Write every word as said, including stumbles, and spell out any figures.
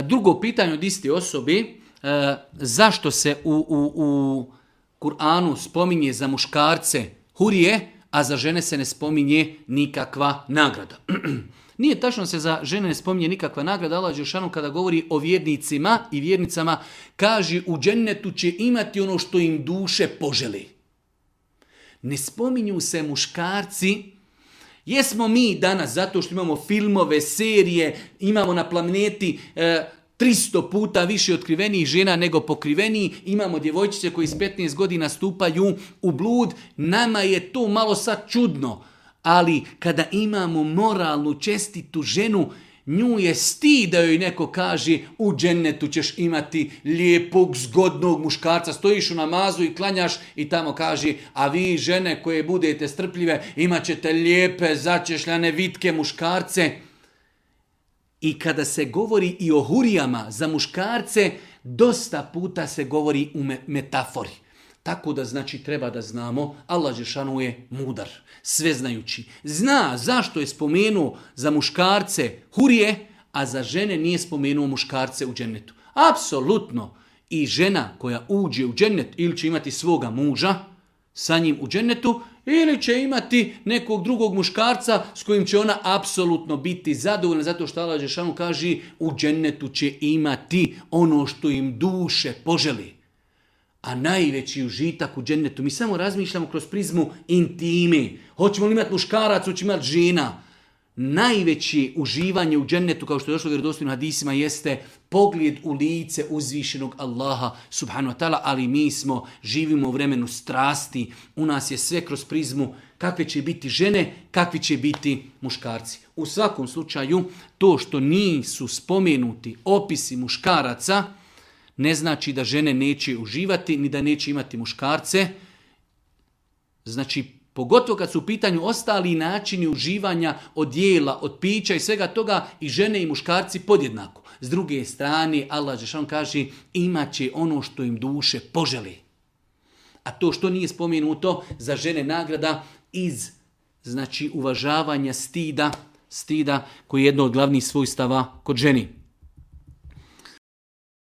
Drugo pitanje od iste osobe, e, zašto se u, u, u Kur'anu spominje za muškarce hurije, a za žene se ne spominje nikakva nagrada. Nije tačno se za žene ne spominje nikakva nagrada. Allah dželešanu kada govori o vjernicima i vjernicama, kaže u džennetu će imati ono što im duše poželi. Ne spominju se muškarci. Jesmo mi danas, zato što imamo filmove, serije, imamo na planeti e, tristo puta više otkrivenih žena nego pokrivenih, imamo djevojčice koji s petnaest godina stupaju u blud, nama je to malo sad čudno, ali kada imamo moralnu, čestitu ženu, nju je stid da joj neko kaže u džennetu ćeš imati lijepog, zgodnog muškarca, stojiš u namazu i klanjaš i tamo kaže, a vi žene koje budete strpljive imat ćete lijepe, začešljane, vitke muškarce. I kada se govori i o hurijama za muškarce, dosta puta se govori u metafori. Tako da znači treba da znamo, Allah dželešanu je mudar, sveznajući. Zna zašto je spomenuo za muškarce hurije, a za žene nije spomenuo muškarce u džennetu. Apsolutno. I žena koja uđe u džennet ili će imati svoga muža sa njim u džennetu, ili će imati nekog drugog muškarca s kojim će ona apsolutno biti zadovoljna, zato što Allah dželešanu kaže u džennetu će imati ono što im duše poželi. A najveći užitak u džennetu, mi samo razmišljamo kroz prizmu intime. Hoćemo li imati muškarac, hoćemo imati žena. Najveće uživanje u džennetu, kao što je došlo u vjerodostojnim hadisima, jeste pogled u lice uzvišenog Allaha subhanahu wa ta'ala, ali mi smo, živimo u vremenu strasti, u nas je sve kroz prizmu kakve će biti žene, kakvi će biti muškarci. U svakom slučaju, to što nisu spomenuti opisi muškaraca, ne znači da žene neće uživati, ni da neće imati muškarce. Znači, pogotovo kad su u pitanju ostali načini uživanja od jela, od pića i svega toga, i žene i muškarci podjednako. S druge strane, Allah dželešanu kaže, imat će ono što im duše poželi. A to što nije spomenuto za žene nagrada iz znači uvažavanja stida, stida koji je jedno od glavnih svojstava kod ženi.